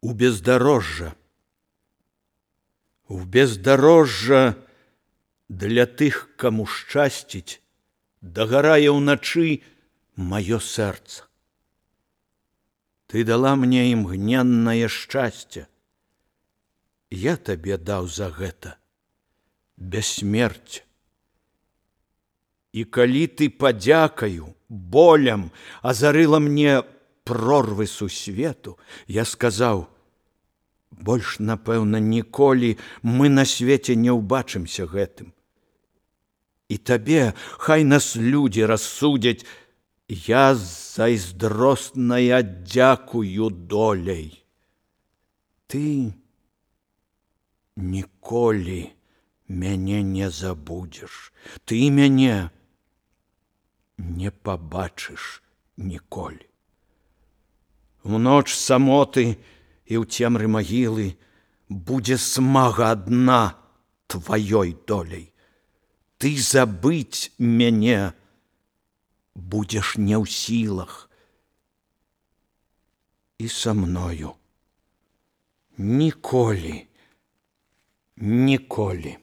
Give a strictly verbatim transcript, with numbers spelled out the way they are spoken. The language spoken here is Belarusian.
у бездорожжа. У бездорожжа для тых, каму шчасціць, дагарае ўначы маё сэрца. Ты дала мне імгненнае шчасце. Я табе даў за гэта бессмерць. І калі ты падзякаю, болем азарыла мне прорвы сусвету, я сказаў: больш, напэўна, ніколі мы на свеце не ўбачымся гэтым. І табе, хай нас людзі рассудзяць, я зайздросная дзякую доляй. Ты ніколі мяне не забудзеш, ты мяне не пабачыш ніколі. У ноч самоты і ў цемры магілы будзе смага адна тваёй доляй. Ты забыць мяне будзеш не ў сілах. І са мною ніколі, ніколі.